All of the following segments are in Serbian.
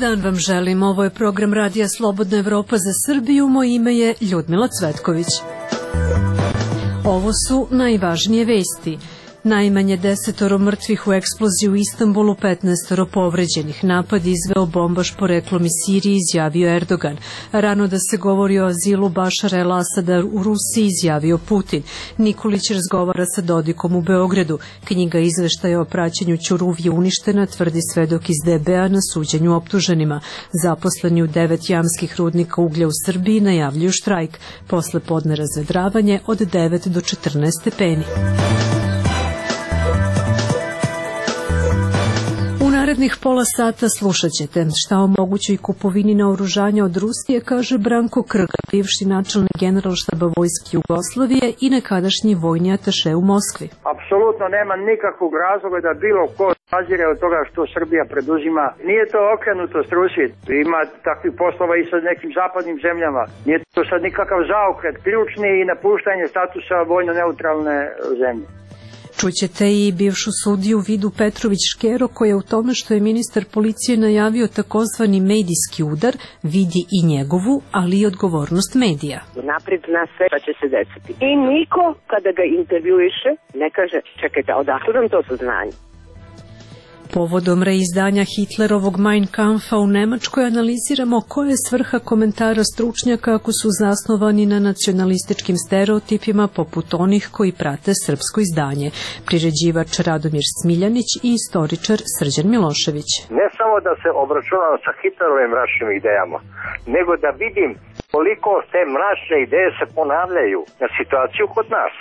dan vam želim. Ovo je program Radija Slobodna Evropa za Srbiju. Moje ime je Ljudmila Cvetković. Ovo su najvažnije vesti. Najmanje 10 mrtvih u eksploziji u Istanbulu, 15 povređenih. Napad izveo bombaš poreklom iz Sirije, izjavio Erdogan. Rano da se govori o azilu Bašara el-Asada u Rusiji, izjavio Putin. Nikolić razgovara sa Dodikom u Beogradu. Knjiga izveštaja o praćenju Ćuruvije uništena, tvrdi svedok iz DB-a na suđenju optuženima. Zaposleni u 9 jamskih rudnika uglja u Srbiji najavljuju štrajk. Posle podne razvedravanje od 9 do 14 stepeni. Narednih pola sata slušat ćete šta o mogućoj kupovini naoružanja od Rusije, kaže Branko Krga, bivši načelnik Generalštaba Vojske Jugoslavije i nekadašnji vojni ataše u Moskvi. Apsolutno nema nikakvog razloga da bilo ko zazire od toga što Srbija preduzima. Nije to okrenutost Rusije, ima takvih poslova i sa nekim zapadnim zemljama. Nije to sad nikakav zaokret, ključni i napuštanje statusa vojno neutralne zemlje. Čućete i bivšu sudiju Vidu Petrović-Škero koja u tome što je ministar policije najavio takozvani medijski udar vidi i njegovu, ali i odgovornost medija. Napred na sve pa će se desiti. I niko kada ga intervjuiše ne kaže čekajte, odakle vam to saznanje? Povodom reizdanja Hitlerovog Mein Kampfa u Nemačkoj analiziramo koja je svrha komentara stručnjaka ako su zasnovani na nacionalističkim stereotipima poput onih koji prate srpsko izdanje. Priređivač Radomir Smiljanić i istoričar Srđan Milošević. Ne samo da se obračunam sa Hitlerovim mračnim idejama, nego da vidim koliko te mračne ideje se ponavljaju na situaciju kod nas.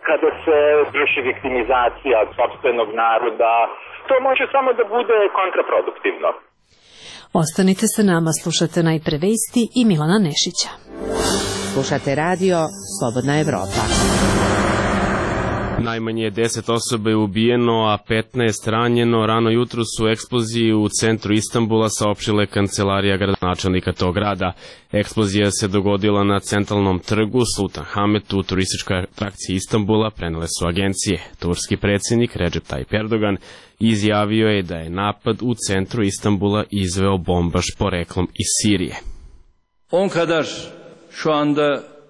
Kada se vrši viktimizacija sopstvenog naroda, to može samo da bude kontraproduktivno. Ostanite sa nama, slušate najpre vesti i Milana Nešića. Slušate radio Slobodna Evropa. Najmanje 10 osoba je ubijeno, a 15 ranjeno. Rano jutro su u eksploziji u centru Istanbula, saopštila kancelarija gradonačelnika tog grada. Eksplozija se dogodila na centralnom trgu Sultan Hametu, turističkoj atrakciji Istanbula, prenele su agencije. Turski predsjednik Recep Tayyip Erdogan izjavio je da je napad u centru Istanbula izveo bombaš poreklom iz Sirije.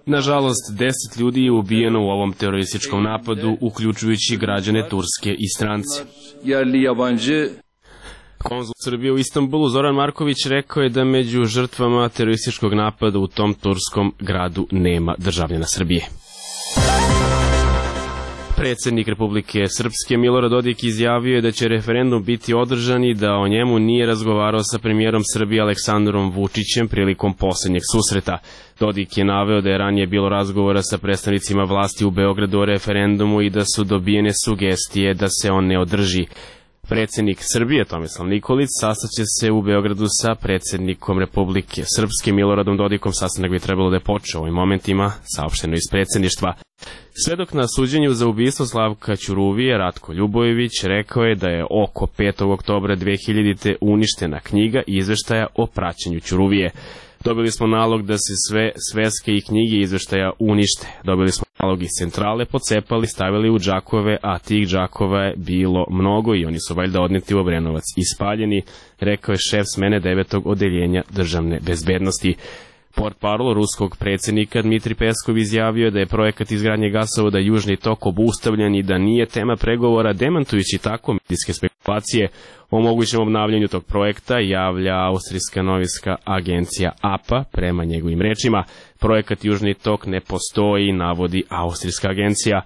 Nažalost, 10 ljudi je ubijeno u ovom terorističkom napadu, uključujući građane Turske i strance. Konzul Srbije u Istanbulu Zoran Marković rekao je da među žrtvama terorističkog napada u tom turskom gradu nema državljana Srbije. Predsjednik Republike Srpske Milorad Dodik izjavio je da će referendum biti održan i da o njemu nije razgovarao sa premijerom Srbije Aleksandrom Vučićem prilikom posljednjeg susreta. Dodik je naveo da je ranije bilo razgovora sa predstavnicima vlasti u Beogradu o referendumu i da su dobijene sugestije da se on ne održi. Predsjednik Srbije Tomislav Nikolić sastaće se u Beogradu sa predsjednikom Republike Srpske Miloradom Dodikom. Sastanak bi trebalo da je počeo u ovim momentima, saopšteno iz predsjedništva. Svedok na suđenju za ubistvo Slavka Ćuruvije, Ratko Ljubojević, rekao je da je oko 5. oktobra 2000. uništena knjiga izveštaja o praćenju Ćuruvije. Dobili smo nalog da se sve sveske i knjige izveštaja unište. Dobili smo nalog iz centrale, pocepali, stavili u džakove, a tih džakova je bilo mnogo i oni su valjda odneti u Obrenovac i spaljeni, rekao je šef smene 9. odeljenja državne bezbednosti. Portparol ruskog predsjednika Dmitri Peskov izjavio da je projekat izgradnje gasovoda Južni tok obustavljen i da nije tema pregovora, demantujući tako medijske spekulacije o mogućem obnavljanju tog projekta, javlja austrijska novinska agencija APA. Prema njegovim rečima, projekat Južni tok ne postoji, navodi austrijska agencija.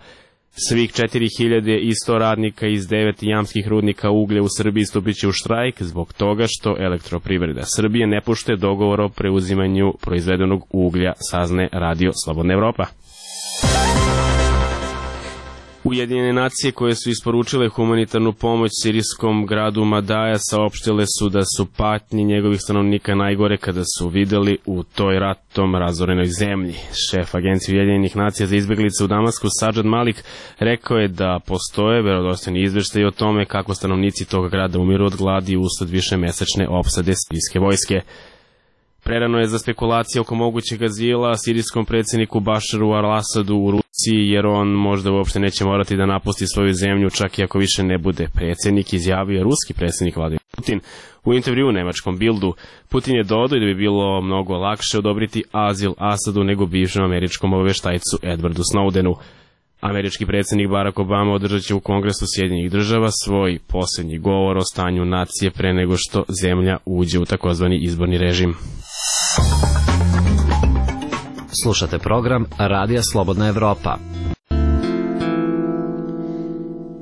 Svih 4100 radnika iz 9 jamskih rudnika uglja u Srbiji stupit će u štrajk zbog toga što Elektroprivreda Srbije ne poštuje dogovor o preuzimanju proizvedenog uglja, saznaje Radio Slobodna Evropa. Ujedinjene nacije koje su isporučile humanitarnu pomoć sirijskom gradu Madaja saopštile su da su patnje njegovih stanovnika najgore kada su videli u toj ratom razorenoj zemlji. Šef Agencije Ujedinjenih nacija za izbjeglice u Damasku Sadžad Malik rekao je da postoje vjerodostojni izvještaji o tome kako stanovnici tog grada umiru od gladi usled višemesečne opsade sirijske vojske. Prerano je za spekulacije oko mogućeg azila sirijskom predsjedniku Bašaru al-Asadu u Rusiji, jer on možda uopšte neće morati da napusti svoju zemlju čak i ako više ne bude predsjednik, izjavio ruski predsjednik Vladimir Putin. U intervju nemačkom Bildu Putin je dodao da bi bilo mnogo lakše odobriti azil Asadu nego bivšem američkom obaveštajcu Edwardu Snowdenu. Američki predsjednik Barack Obama održat će u Kongresu Sjedinjenih država svoj posljednji govor o stanju nacije pre nego što zemlja uđe u takozvani izborni režim. Slušate program Radija Slobodna Evropa.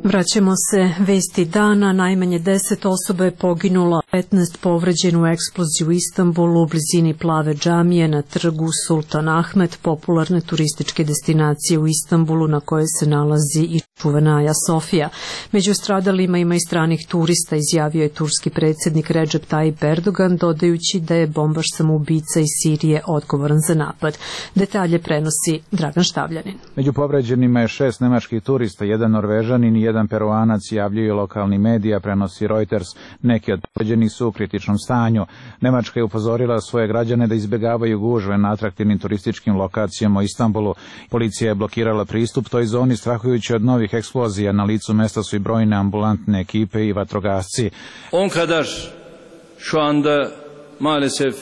Vraćamo se vesti dana. Najmanje 10 osoba je poginulo, 15 povređeno u eksploziji u Istanbulu u blizini Plave džamije na trgu Sultan Ahmed, popularne turističke destinacije u Istanbulu na kojoj se nalazi i čuvena Aja Sofija. Među stradalima ima i stranih turista, izjavio je turski predsjednik Recep Tayyip Erdogan, dodajući da je bombaš samoubica iz Sirije odgovoran za napad. Detalje prenosi Dragan Štavljanin. Među povređenima je 6 nemačkih turista, jedan Norvežanin i jedan Peruanac, javljaju lokalni medija, prenosi Reuters. Neki od povređenih su u kritičnom stanju. Nemačka je upozorila svoje građane da izbjegavaju gužve na atraktivnim turističkim lokacijama u Istanbulu. Policija je blokirala pristup toj zoni strahujući od novih eksplozija. Na licu mesta su i brojne ambulantne ekipe i vatrogasci. On kadar şu anda maalesef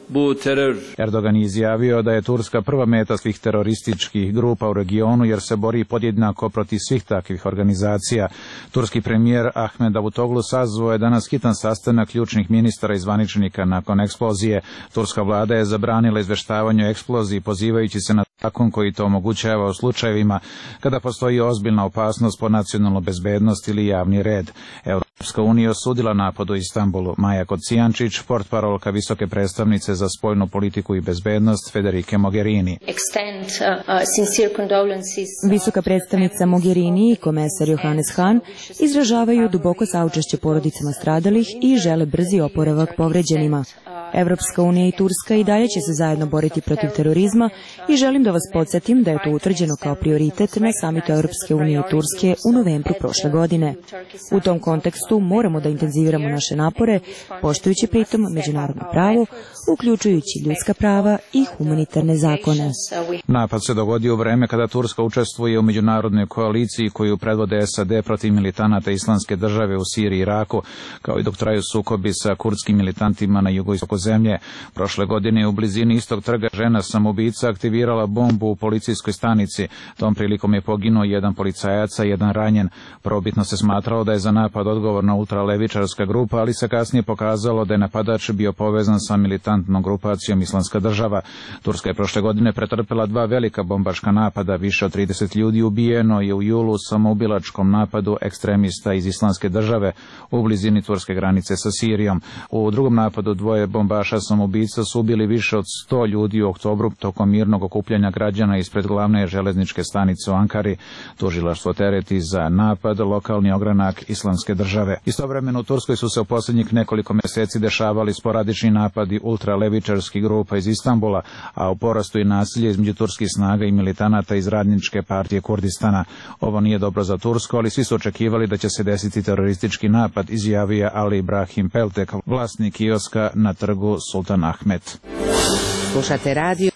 bu terör. Erdogan je izjavio da je Turska prva meta svih terorističkih grupa u regionu jer se bori podjednako protiv svih takvih organizacija. Turski premijer Ahmed Davutoglu sazvao je danas hitan sastanak ključnih ministara i zvaničnika nakon eksplozije. Turska vlada je zabranila izveštavanje o eksploziji pozivajući se na zakon koji to omogućava u slučajevima kada postoji ozbiljna opasnost po nacionalnu bezbednost ili javni red. Europska unija osudila napad u Istanbulu. Maja Kocijančić, portparolka visoke predstavnice za spoljnu politiku i bezbednost Federike Mogherini. Visoka predstavnica Mogherini i komesar Johannes Hahn izražavaju duboko saučešće porodicama stradalih i žele brzi oporavak povređenima. Evropska unija i Turska i dalje će se zajedno boriti protiv terorizma i želim da vas podsjetim da je to utvrđeno kao prioritet na samitu Evropske unije i Turske u novembru prošle godine. U tom kontekstu moramo da intenziviramo naše napore, poštujući pritom međunarodno pravo, uključujući ljudska prava i humanitarne zakone. Napad se dogodio u vreme kada Turska učestvuje u međunarodnoj koaliciji koju predvode SAD protiv militanata Islamske države u Siriji i Iraku, kao i dok traju sukobi sa kurdskim militantima na jugoistoku zemlje. Prošle godine u blizini istog trga žena samoubica aktivirala bombu u policijskoj stanici. Tom prilikom je poginuo jedan policajac, a jedan ranjen. Probitno se smatralo da je za napad odgovorna ultralevičarska grupa, ali se kasnije pokazalo da je napadač bio povezan sa militantnom grupacijom Islamska država. Turska je prošle godine pretrpela 2 velika bombaška napada, više od 30 ljudi ubijeno je u julu u samoubilačkom napadu ekstremista iz Islamske države u blizini turske granice sa Sirijom. U drugom napadu 2 bombaša samoubica su ubili više od 100 ljudi u oktobru tokom mirnog okupljanja građana ispred glavne železničke stanice u Ankari. Tužilaštvo tereti za napad lokalni ogranak Islamske države. Istovremeno u Turskoj su se u posljednjih nekoliko mjeseci dešavali sporadični napadi ultralevičarskih grupa iz Istanbula, a u porastu i nasilje između turskih snaga i militanata iz Radničke partije Kurdistana. Ovo nije dobro za Tursku, ali svi su očekivali da će se desiti teroristički napad, izjavio Ali Ibrahim Peltek, vlasnik kioska na trgu Sultan Ahmed. Slušate radio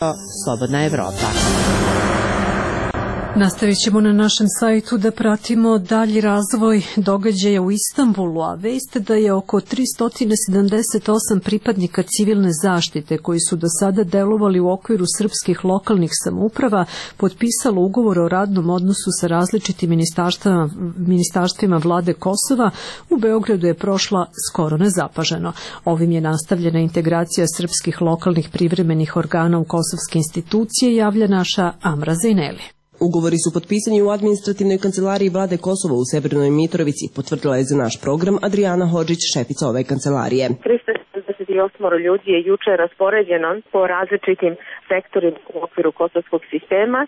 Slobodna Evropa. Nastavit ćemo na našem sajtu da pratimo dalji razvoj događaja u Istanbulu, a vest da je oko 378 pripadnika civilne zaštite koji su do sada delovali u okviru srpskih lokalnih samouprava potpisalo ugovor o radnom odnosu sa različitim ministarstvima vlade Kosova u Beogradu je prošla skoro nezapaženo. Ovim je nastavljena integracija srpskih lokalnih privremenih organa u kosovske institucije, javlja naša Amra Zejneli. Ugovori su potpisani u administrativnoj kancelariji vlade Kosova u Severnoj Mitrovici, potvrdila je za naš program Adriana Hodžić, šefica ove kancelarije. 378 ljudi je juče raspoređeno po različitim sektorima u okviru kosovskog sistema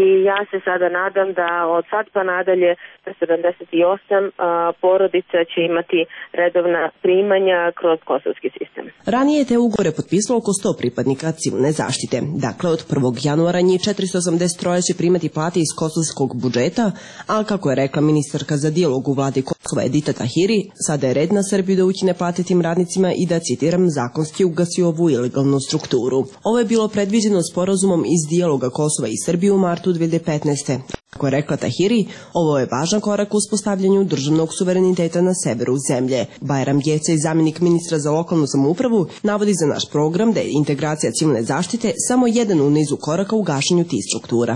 i ja se sada nadam da od sad pa nadalje 78 porodica će imati redovna primanja kroz kosovski sistem. Ranije je te ugovore potpisalo oko 100 pripadnika civilne zaštite. Dakle, od 1. januara njih 483 će primati plate iz kosovskog budžeta, ali kako je rekla ministarka za dijalog u vladi Kosova Edita Tahiri, sada je red na Srbiju da ukine plate tim radnicima i da, citiram, zakonski ugasi ovu ilegalnu strukturu. Ovo je bilo predviđeno sporazumom iz dijaloga Kosova i Srbije u martu 2015. Kako je rekla Tahiri, ovo je važan korak u uspostavljanju državnog suvereniteta na severu zemlje. Bajram Gecaj, zamjenik ministra za lokalnu samoupravu, navodi za naš program da je integracija civilne zaštite samo jedan u nizu koraka u gašenju tih struktura.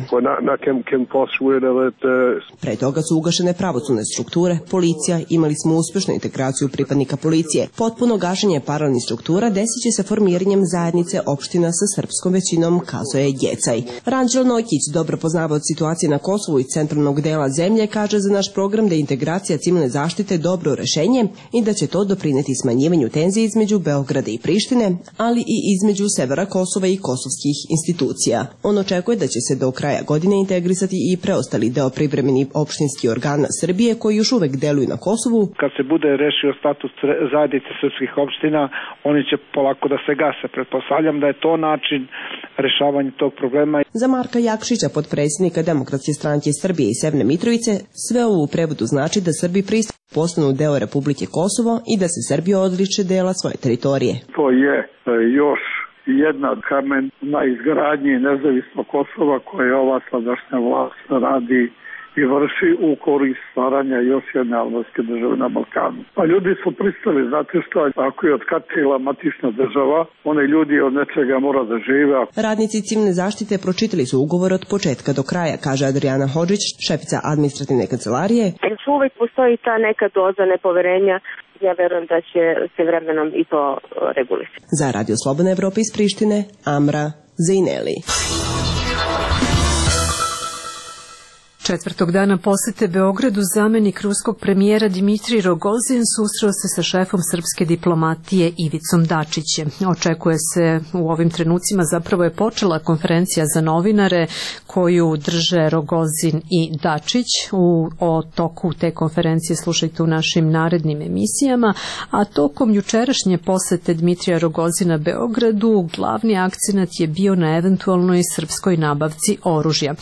Pre toga su ugašene pravosudne strukture, policija, imali smo uspešnu integraciju pripadnika policije. Potpuno gašenje paralelnih struktura desit će se formiranjem zajednice opština sa srpskom većinom, kazao je Gecaj. Ranđelo Nojkić, dobro poznavaoc situacije na Kosovu i centralnog dela zemlje, kaže za naš program da je integracija civilne zaštite dobro rešenje i da će to doprineti smanjivanju tenzije između Beograda i Prištine, ali i između severa Kosova i kosovskih institucija. On očekuje da će se do kraja godine integrisati i preostali deo privremeni opštinski organa Srbije koji još uvek deluju na Kosovu. Kad se bude rešio status zajednice srpskih opština, oni će polako da se gase. Pretpostavljam da je to način rešavanja tog problema. Za Marka Jakšića, potpredsjednika Demokratske stranke Srbije i Severne Mitrovice, sve ovo u prevodu znači da Srbi postanu deo Republike Kosovo i da se Srbija odriče dela svoje teritorije. To je još jedna kamen na izgradnji nezavisnog Kosova koje ova sadašnja vlast radi i vrši u korist stvaranja još jedne albanske države na Balkanu. Pa ljudi su pristali, znate što, ako je otkatila matična država, one ljudi od nečega mora da žive. Radnici civilne zaštite pročitali su ugovor od početka do kraja, kaže Adriana Hodžić, šefica administrativne kancelarije. Još uvek postoji ta neka doza nepoverenja. Ja verujem da će se vremenom i to regulisati. Za Radio Slobodna Evropa iz Prištine, Amra Zejneli. Četvrtog dana posete Beogradu zamenik ruskog premijera Dimitrij Rogozin susreo se sa šefom srpske diplomatije Ivicom Dačićem. Očekuje se u ovim trenucima, zapravo je počela konferencija za novinare koju drže Rogozin i Dačić. O toku te konferencije slušajte u našim narednim emisijama, a tokom jučerašnje posete Dimitrija Rogozina Beogradu glavni akcenat je bio na eventualnoj srpskoj nabavci oružja.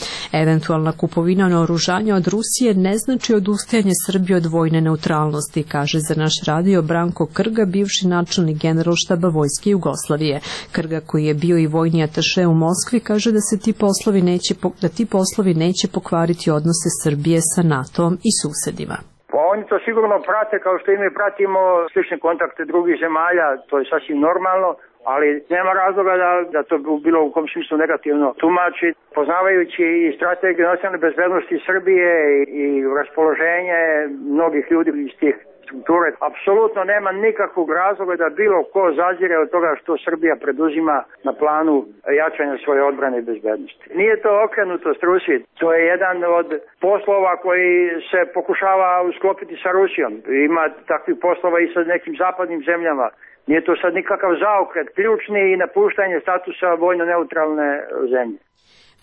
Eventualna kupovina naoružanja od Rusije ne znači odustajanje Srbije od vojne neutralnosti, kaže za naš radio Branko Krga, bivši načelnik Generalštaba Vojske Jugoslavije. Krga, koji je bio i vojni ataše u Moskvi, kaže da se ti poslovi neće pokvariti odnose Srbije sa NATO-om i susedima. Pa oni to sigurno prate kao što i mi pratimo slične kontakte drugih zemalja, to je sasvim normalno, ali nema razloga da to bilo u kom smislu negativno tumači. Poznavajući i strategiju nacionalne bezbednosti Srbije i raspoloženje mnogih ljudi iz tih strukture, apsolutno nema nikakvog razloga da bilo ko zazire od toga što Srbija preduzima na planu jačanja svoje odbrane i bezbednosti. Nije to okrenutost Rusiji, to je jedan od poslova koji se pokušava usklopiti sa Rusijom. Ima takvih poslova i sa nekim zapadnim zemljama. Nije to sad nikakav zaokret, ključni i napuštanje statusa vojno-neutralne zemlje.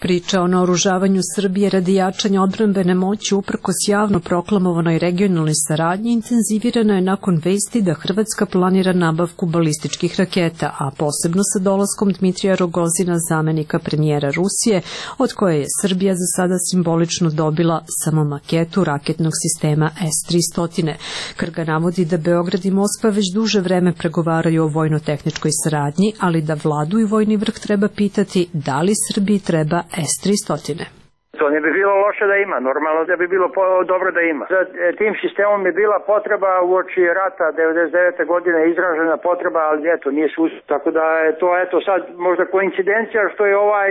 Priča o naoružavanju Srbije radi jačanja odbrambene moći uprkos javno proklamovanoj regionalnoj saradnji intenzivirana je nakon vesti da Hrvatska planira nabavku balističkih raketa, a posebno sa dolaskom Dmitrija Rogozina, zamenika premijera Rusije, od koje je Srbija za sada simbolično dobila samo maketu raketnog sistema S-300. Krga navodi da Beograd i Moskva već duže vreme pregovaraju o vojno-tehničkoj saradnji, ali da vladu i vojni vrh treba pitati da li Srbiji treba S-300. To ne bi bilo loše da ima, normalno da bi bilo dobro da ima. Za tim sistemom je bila potreba uoči rata 99. godine, izražena potreba, ali eto, nije se uspio. Tako da je to eto sad možda koincidencija što je ovaj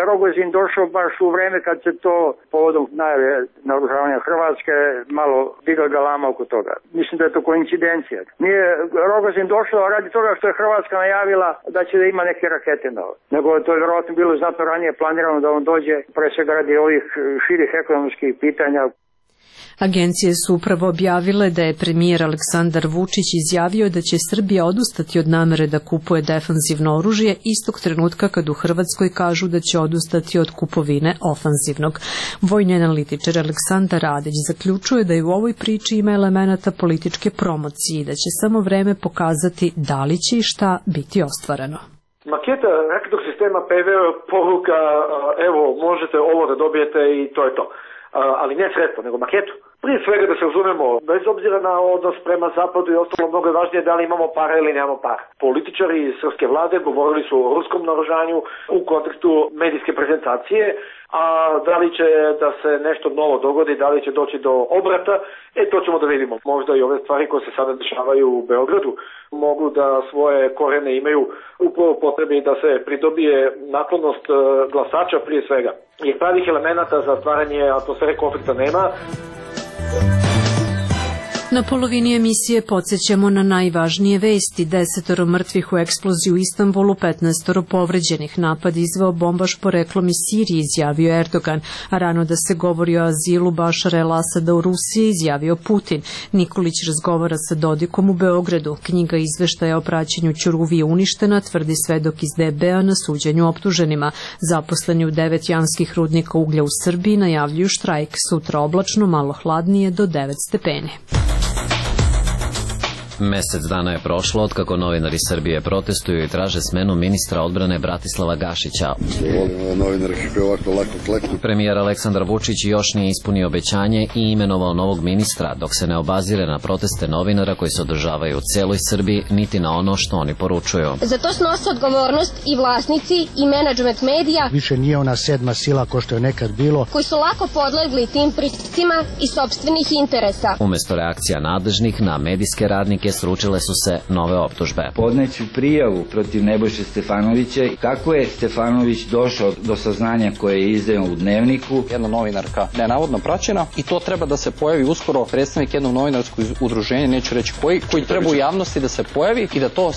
Rogozin došao baš u vreme kad se to povodom najave naoružavanja Hrvatske malo digla galama oko toga. Mislim da je to koincidencija. Nije Rogozin došao radi toga što je Hrvatska najavila da će da ima neke rakete nove, nego to je vjerojatno bilo znatno ranije planirano da on dođe, pre svega radi ovih širih ekonomskih pitanja. Agencije su upravo objavile da je premijer Aleksandar Vučić izjavio da će Srbija odustati od namere da kupuje defanzivno oružje istog trenutka kad u Hrvatskoj kažu da će odustati od kupovine ofanzivnog. Vojni analitičar Aleksandar Radić zaključuje da je u ovoj priči ima elemenata političke promocije i da će samo vreme pokazati da li će i šta biti ostvareno. Maketa raketnog sistema PV poruka, evo možete ovo da dobijete i to je to. Ali ne sredstvo, nego maketu. Prije svega da se razumemo, bez obzira na odnos prema zapadu i ostalo, mnogo je važnije da li imamo para ili nemamo para. Političari iz srpske vlade govorili su o ruskom naoružanju u kontekstu medijske prezentacije, a da li će da se nešto novo dogodi, da li će doći do obrata, to ćemo da vidimo. Možda i ove stvari koje se sada dešavaju u Beogradu mogu da svoje korene imaju upravo potrebi da se pridobije naklonost glasača prije svega. Jer pravih elemenata za stvaranje atmosfere konflikta nema. Na polovini emisije podsjećamo na najvažnije vesti. 10 mrtvih u eksploziji u Istanbulu, 15 povređenih. Napad izveo bombaš poreklom iz Sirije, izjavio Erdogan. A rano da se govori o azilu Bašara el-Asada u Rusiji, izjavio Putin. Nikolić razgovara sa Dodikom u Beogradu. Knjiga izveštaja o praćenju Ćuruvi je uništena, tvrdi svedok iz DB-a na suđenju optuženima. Zaposleni u 9 janskih rudnika uglja u Srbiji najavljuju štrajk. Sutra oblačno, malo hladnije do 9 stepeni. Mesec dana je prošlo od kako novinari Srbije protestuju i traže smenu ministra odbrane Bratislava Gašića. Premijer Aleksandar Vučić još nije ispunio obećanje i imenovao novog ministra, dok se ne obazire na proteste novinara koji se održavaju u celoj Srbiji, niti na ono što oni poručuju. Za to snose odgovornost i vlasnici i menadžment medija. Više nije ona sedma sila ko što je nekad bilo. Koji su lako podlegli tim pritiscima i sopstvenih interesa. Umesto reakcija nadležnih na medijske radnike sručile su se nove optužbe. Podneću prijavu protiv Nebojše Stefanovića. Kako je Stefanović došao do saznanja koje je izdao u Dnevniku? Jedna novinarka nenavodno praćena i to treba da se pojavi uskoro predstavnik jednog novinarskog udruženja, neću reći koji treba u javnosti da se pojavi i da to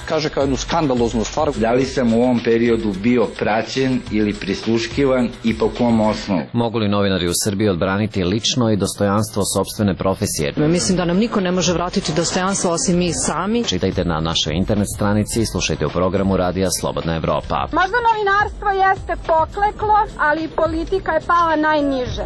kaže kao jednu skandaloznu stvar. Da li sam u ovom periodu bio praćen ili prisluškivan i po kom osnovu? Mogu li novinari u Srbiji odbraniti lično i dostojanstvo sopstvene profesije? Mislim da nam niko ne može vratiti dostojanstvo osim mi sami. Čitajte na našoj internet stranici i slušajte u programu Radija Slobodna Evropa. Možda novinarstvo jeste pokleklo, ali politika je pala najniže.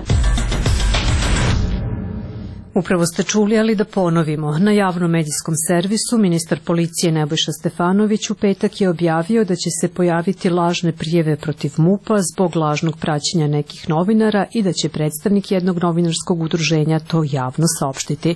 Upravo ste čuli, ali da ponovimo. Na javnom medijskom servisu ministar policije Nebojša Stefanović u petak je objavio da će se pojaviti lažne prijeve protiv MUP-a zbog lažnog praćenja nekih novinara i da će predstavnik jednog novinarskog udruženja to javno saopštiti.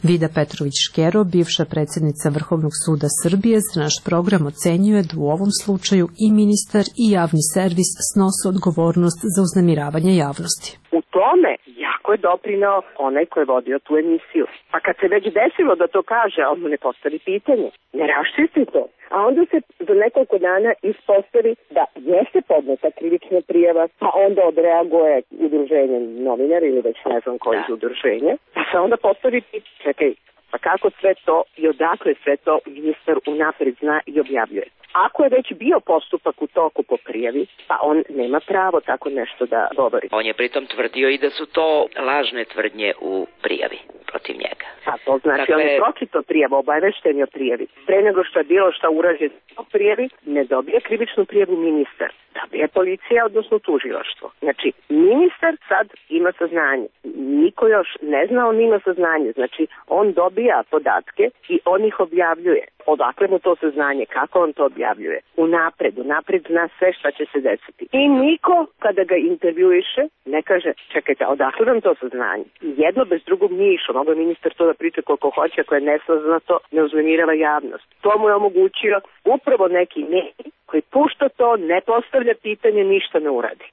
Vida Petrović-Škero, bivša predsjednica Vrhovnog suda Srbije, za naš program ocenjuje da u ovom slučaju i ministar i javni servis snose odgovornost za uznemiravanje javnosti. U tome jako je doprineo onaj ko je vodio tu emisiju. Pa kad se već desilo da to kaže, on mu ne postavi pitanje, ne raščisti to. A onda se za nekoliko dana ispostavi da jeste podneta krivična prijava, pa onda odreaguje udruženje novinara ili već ne znam koji iz udruženja, pa se onda postavi pitanje, čekaj, pa kako sve to i odakle sve to ministar unapred zna i objavljuje. Ako je već bio postupak u toku po prijavi, pa on nema pravo tako nešto da govori. On je pritom tvrdio i da su to lažne tvrdnje u prijavi protiv njega. Pa to znači on je pročitao prijavu, obavešten je o prijavi. Pre nego što je bilo šta urađeno o prijavi, ne dobije krivičnu prijavu ministar. Dobije policija, odnosno tužilaštvo. Znači, ministar sad ima saznanje. Niko još ne zna, on ima saznanje. Znači, on dobija podatke i on ih objavljuje. Odakle mu to saznanje? Kako on to objavljuje? Unapred zna sve šta će se desiti. I niko, kada ga intervjuiše, ne kaže, čekajte, odakle vam to saznanje? Jedno bez drugog nije išlo. Mogu je ministar to da priča koliko hoće, ako je nesaznato, ne uznemirava javnost. To mu je omogućio upravo neki medij koji pušta to, ne postavlja pitanje, ništa ne uradi.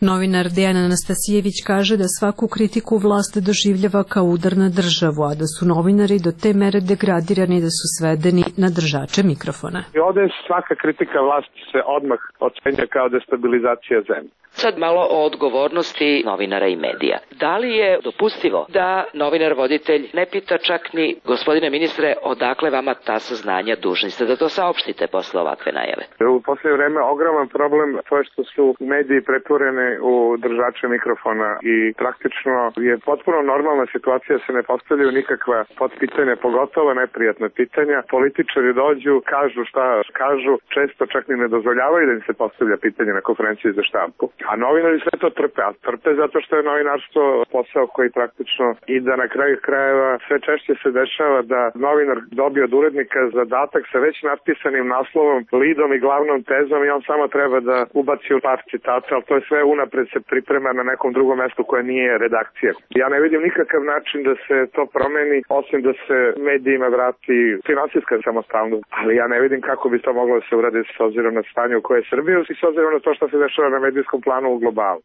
Novinar Dejan Anastasijević kaže da svaku kritiku vlast doživljava kao udar na državu, a da su novinari do te mere degradirani da su svedeni na držače mikrofona. I ovde svaka kritika vlasti se odmah ocenja kao destabilizacija zemlje. Sad malo o odgovornosti novinara i medija. Da li je dopustivo da novinar voditelj ne pita čak ni gospodine ministre odakle vama ta saznanja, dužni ste da to saopštite posle ovakve najave? U poslednje vreme ogroman problem to je što su mediji pretvorene u držače mikrofona i praktično je potpuno normalna situacija da se ne postavljaju nikakva potpitanja, pogotovo neprijatna pitanja. Političari dođu, kažu šta kažu, često čak ni ne dozvoljavaju da im se postavlja pitanje na konferenciji za štampu. A novinari sve to trpe, a trpe zato što je novinarstvo posao koji praktično i da na kraju krajeva sve češće se dešava da novinar dobije od urednika zadatak sa već napisanim naslovom, lidom i glavnom tezom i on samo treba da ubaci u par citata, ali to je sve unapred se priprema na nekom drugom mestu koje nije redakcija. Ja ne vidim nikakav način da se to promeni, osim da se medijima vrati finansijska samostalnost, ali ja ne vidim kako bi to moglo da se uradi s obzirom na stanje u koje je Srbija i s obzirom na to što se dešava na medijskom planu u globalu.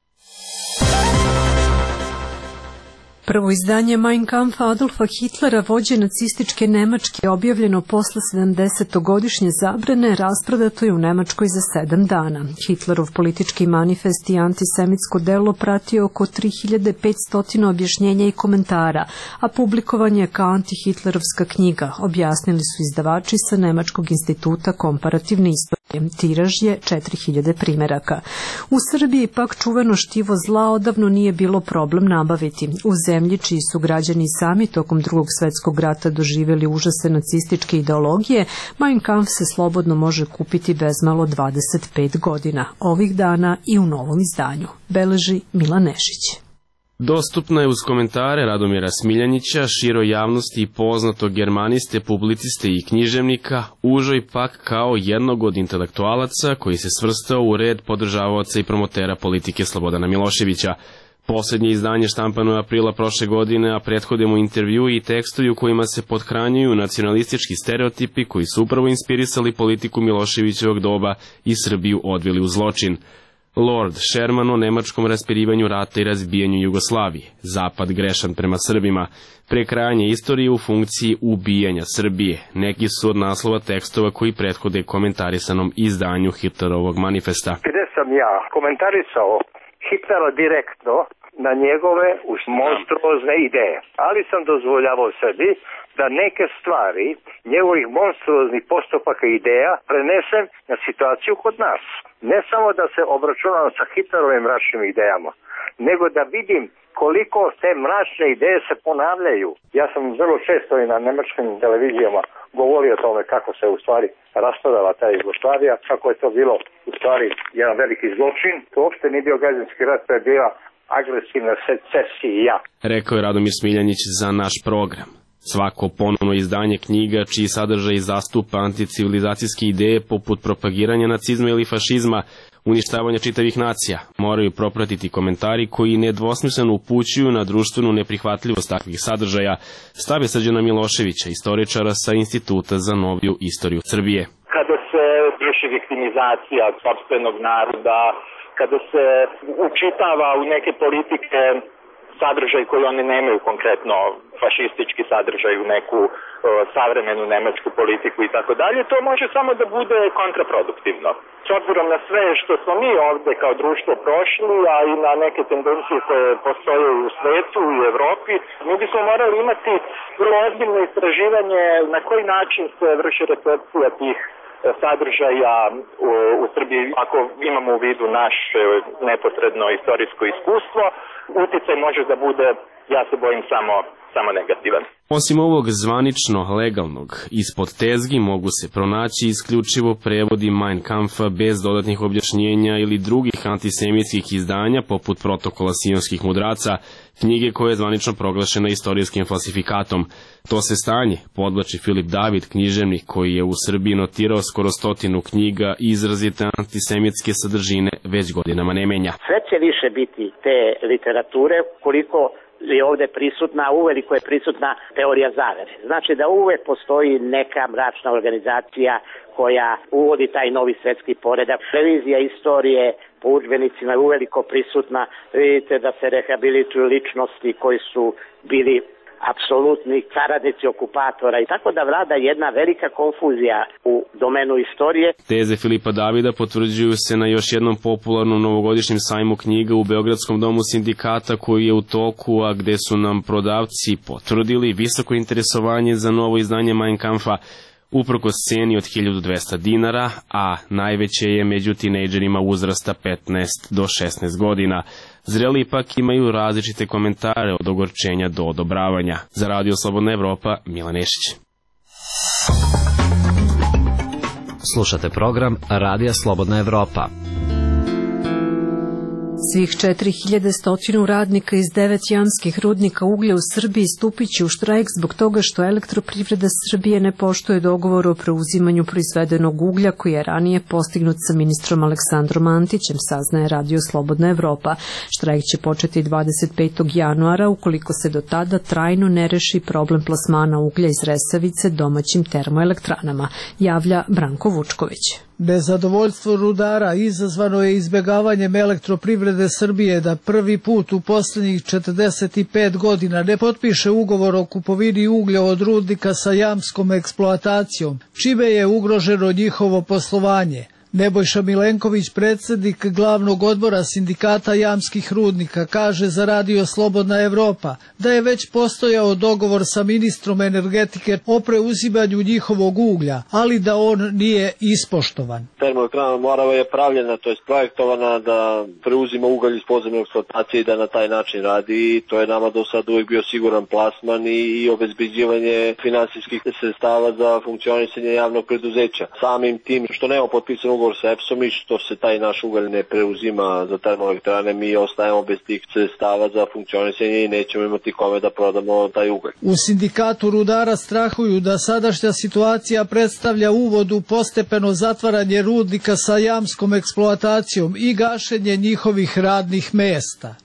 Prvo izdanje Mein Kampf Adolfa Hitlera, vođe nacističke Nemačke, objavljeno posle 70-godišnje zabrane, rasprodato je u Nemačkoj za 7 dana. Hitlerov politički manifest i antisemitsko delo pratio oko 3500 objašnjenja i komentara, a publikovan je kao antihitlerovska knjiga, objasnili su izdavači sa Nemačkog instituta komparativne istorije. Tiraž je 4000 primeraka. U Srbiji pak čuveno štivo zla odavno nije bilo problem nabaviti. U zemlji čiji su građani sami tokom Drugog svetskog rata doživjeli užase nacističke ideologije, Mein Kampf se slobodno može kupiti bezmalo 25 godina. Ovih dana i u novom izdanju, beleži Milan Nešić. Dostupna je uz komentare Radomira Smiljanića, široj javnosti i poznatog germaniste, publiciste i književnika, užoj pak kao jednog od intelektualaca koji se svrstao u red podržavaoca i promotera politike Slobodana Miloševića. Poslednje izdanje štampano je aprila prošle godine, a prethode mu intervju i tekstovi u kojima se pothranjuju nacionalistički stereotipi koji su upravo inspirisali politiku Miloševićevog doba i Srbiju odveli u zločin. Lord Sherman o nemačkom raspirivanju rata i razbijanju Jugoslavije, Zapad grešan prema Srbima, prekrajanje istorije u funkciji ubijanja Srbije, neki su od naslova tekstova koji prethode komentarisanom izdanju Hitlerovog manifesta. Gde sam ja komentarisao Hitlera direktno na njegove monstruozne ideje, ali sam dozvoljavao sebi da neke stvari njegovih monstruoznih postupaka i ideja prenesem na situaciju kod nas. Ne samo da se obračunam sa Hitlerovim mračnim idejama, nego da vidim koliko te mračne ideje se ponavljaju. Ja sam vrlo često i na nemačkim televizijama govorio o tome kako se u stvari raspadala ta Jugoslavija, kako je to bilo u stvari jedan veliki zločin. To uopšte nije bio građanski rat, to je bila agresivna secesija. Rekao je Radomir Smiljanić za naš program. Svako ponovno izdanje knjiga čiji sadržaj zastupa anticivilizacijske ideje poput propagiranja nacizma ili fašizma, uništavanja čitavih nacija, moraju propratiti komentari koji nedvosmisleno upućuju na društvenu neprihvatljivost takvih sadržaja, stave Srđana Miloševića, istoričara sa Instituta za noviju istoriju Srbije. Kada se vrši viktimizacija sopstvenog naroda, kada se učitava u neke politike sadržaj koji oni nemaju, konkretno fašistički sadržaj u neku savremenu nemačku politiku i tako dalje, to može samo da bude kontraproduktivno. S obzirom na sve što smo mi ovde kao društvo prošli, a i na neke tendencije koje postoje u svetu i u Evropi, mi bismo morali imati vrlo ozbiljno istraživanje na koji način se vrši recepcija tih sadržaja u Srbiji, ako imamo u vidu naše neposredno istorijsko iskustvo, uticaj može da bude, ja se bojim, samo negativan. Osim ovog zvanično legalnog, ispod tezgi mogu se pronaći isključivo prevodi Mein Kampfa bez dodatnih objašnjenja ili drugih antisemitskih izdanja poput protokola sionskih mudraca, knjige koja je zvanično proglašena istorijskim falsifikatom. To se stanje podvlači Filip David, književnik koji je u Srbiji notirao skoro 100 knjiga i izrazite antisemitske sadržine već godinama ne menja. Sve će više biti te literature koliko je ovde prisutna, uveliko je prisutna teorija zavere. Znači da uvek postoji neka mračna organizacija koja uvodi taj novi svetski poredak. Revizija istorije po udžbenicima je uveliko prisutna. Vidite da se rehabilituju ličnosti koji su bili apsolutni saradnici okupatora i tako da vlada jedna velika konfuzija u domenu istorije. Teze Filipa Davida potvrđuju se na još jednom popularnom novogodišnjem sajmu knjiga u Beogradskom domu sindikata koji je u toku, a gde su nam prodavci potvrdili visoko interesovanje za novo izdanje Mein Kampfa, uprkos ceni od 1200 dinara, a najveće je među tinejdžerima uzrasta 15 do 16 godina. Zreli ipak imaju različite komentare od ogorčenja do odobravanja. Za Radio Slobodna Evropa, Milan Nešić. Slušate program Radija Slobodna Evropa. Svih 4100 radnika iz 9 jamskih rudnika uglja u Srbiji stupit će u štrajk zbog toga što Elektroprivreda Srbije ne poštuje dogovor o preuzimanju proizvedenog uglja koji je ranije postignut sa ministrom Aleksandrom Antićem, saznaje Radio Slobodna Evropa. Štrajk će početi 25. januara ukoliko se do tada trajno ne reši problem plasmana uglja iz Resavice domaćim termoelektranama, javlja Branko Vučković. Nezadovoljstvo rudara izazvano je izbjegavanjem Elektroprivrede Srbije da prvi put u posljednjih 45 godina ne potpiše ugovor o kupovini uglja od rudnika sa jamskom eksploatacijom, čime je ugroženo njihovo poslovanje. Nebojša Milenković, predsjednik glavnog odbora sindikata jamskih rudnika, kaže za Radio Slobodna Evropa da je već postojao dogovor sa ministrom energetike o preuzimanju njihovog uglja, ali da on nije ispoštovan. Termoelektrana Morava je pravljena, to je projektovana da preuzima ugalj iz podzemne eksploatacije i da na taj način radi. To je nama do sada uvijek bio siguran plasman i obezbeđivanje finansijskih sredstava za funkcionisanje javnog preduzeća. Samim tim što nema potpisan ugovor sa EPS-om i što se taj naš ugalj ne preuzima za termoelektrane, mi ostajemo bez tih sredstava za funkcionisanje i nećemo imati kome da prodamo taj ugalj. U sindikatu rudara strahuju da sadašnja situacija predstavlja uvod u postepeno zatvaranje rudnika sa jamskom eksploatacijom i gašenje njihovih radnih mesta.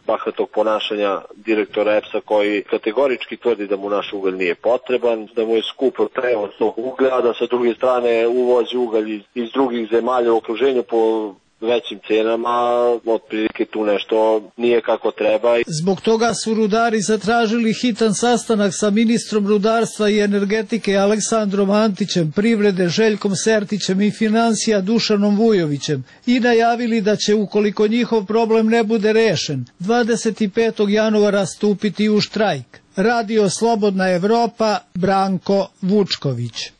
Bahatog ponašanja direktora EPS-a koji kategorički tvrdi da mu naš ugalj nije potreban, da mu je skupo prevoz tog uglja, da sa druge strane uvozi ugalj iz drugih zemalja u okruženju po većim cenama, otprilike tu nešto nije kako treba. Zbog toga su rudari zatražili hitan sastanak sa ministrom rudarstva i energetike Aleksandrom Antićem, privrede Željkom Sertićem i financija Dušanom Vujovićem i najavili da će, ukoliko njihov problem ne bude rešen, 25. januara stupiti u štrajk. Radio Slobodna Evropa, Branko Vučković.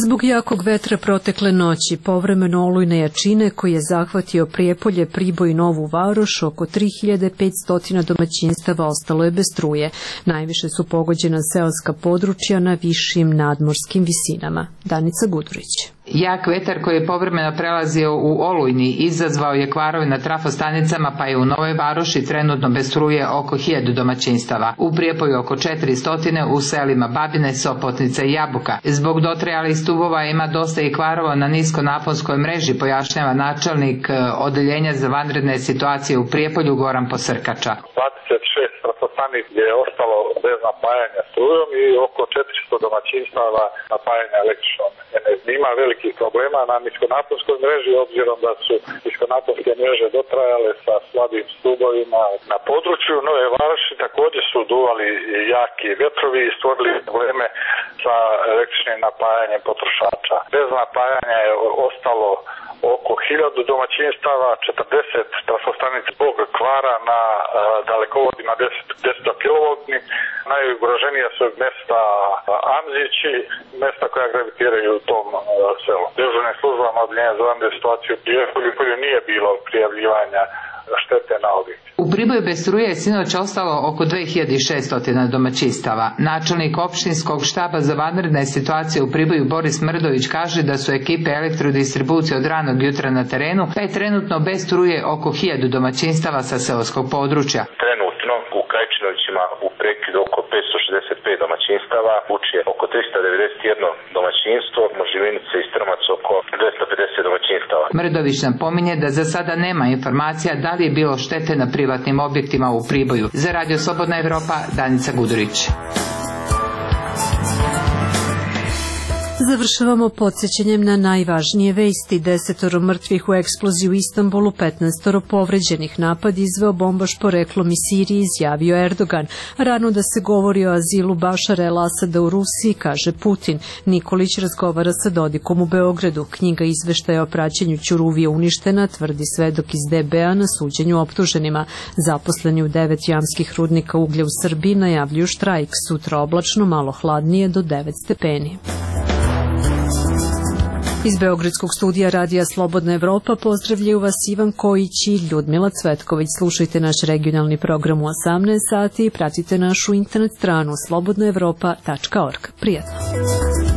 Zbog jakog vetra protekle noći, povremeno olujne jačine koji je zahvatio Prijepolje, Priboj i Novu Varoš, oko 3500 domaćinstava ostalo je bez struje. Najviše su pogođena seoska područja na višim nadmorskim visinama. Danica Gudurić. Jak vetar koji je povremeno prelazio u olujni izazvao je kvarove na trafostanicama, pa je u Novoj Varoši trenutno bez struje oko 1000 domaćinstava. U Prijepoju oko 400, u selima Babine, Sopotnica i Jabuka. Zbog dotrajalih stubova ima dosta i kvarova na niskonaponskoj mreži, pojašnjava načelnik odeljenja za vanredne situacije u Prijepolju Goran Posrkača. 26 trafostanica je ostalo bez napajanja strujom i oko 400 domaćinstava napajanja električnom energijom. Ima velikih problema na niskonaponskoj mreži, obzirom da su niskonaponske mreže dotrajale sa slabim stubovima. Na području Nove Varoši također su duvali jaki vetrovi i stvorili probleme sa električnim napajanjem potrošača. Bez napajanja je ostalo oko 1000 domaćinstava, 40 trafostanica zbog kvara na dalekovodima 10 kV. Najugroženija su mesta Amzići, mesta koja gravitiraju u tom selu. Dežurnim službama Odeljenja za vanredne situacije u Prijepolju nije bilo prijavljivanja štete na objekte. U Priboju bez struje je sinoć ostalo oko 2600 domaćinstava. Načelnik opštinskog štaba za vanredne situacije u Priboju Boris Mrdović kaže da su ekipe elektrodistribucije od ranog jutra na terenu, pa je trenutno bez struje oko 1000 domaćinstava sa seoskog područja. Trenutno u Krajčinovćima u prekidu oko 565 domaćinstava, Vučje oko 391 domaćinstvo, Moživinice i Strmac oko 250 domaćinstava. Mrdović napominje da za sada nema informacija da li je bilo štete na privatnim objektima u Priboju. Za Radio Slobodna Evropa, Danica Gudurić. Završavamo podsjećanjem na najvažnije vesti. 10 mrtvih u eksploziji u Istanbulu, 15 povređenih. Napad izveo bombaš poreklom iz Sirije, izjavio Erdogan. Rano da se govori o azilu Bašara el-Asada u Rusiji, kaže Putin. Nikolić razgovara sa Dodikom u Beogradu. Knjiga izveštaja o praćenju Ćuruvije uništena, tvrdi svedok iz DB-a na suđenju optuženima. Zaposleni u 9 jamskih rudnika uglja u Srbiji najavljuju štrajk. Sutra oblačno, malo hladnije do 9 stepeni. Iz Beogradskog studija Radija Slobodna Evropa pozdravljaju vas Ivan Kojić i Ljudmila Cvetković. Slušajte naš regionalni program u 18 sati i pratite našu internet stranu slobodnaevropa.org. Prijatno!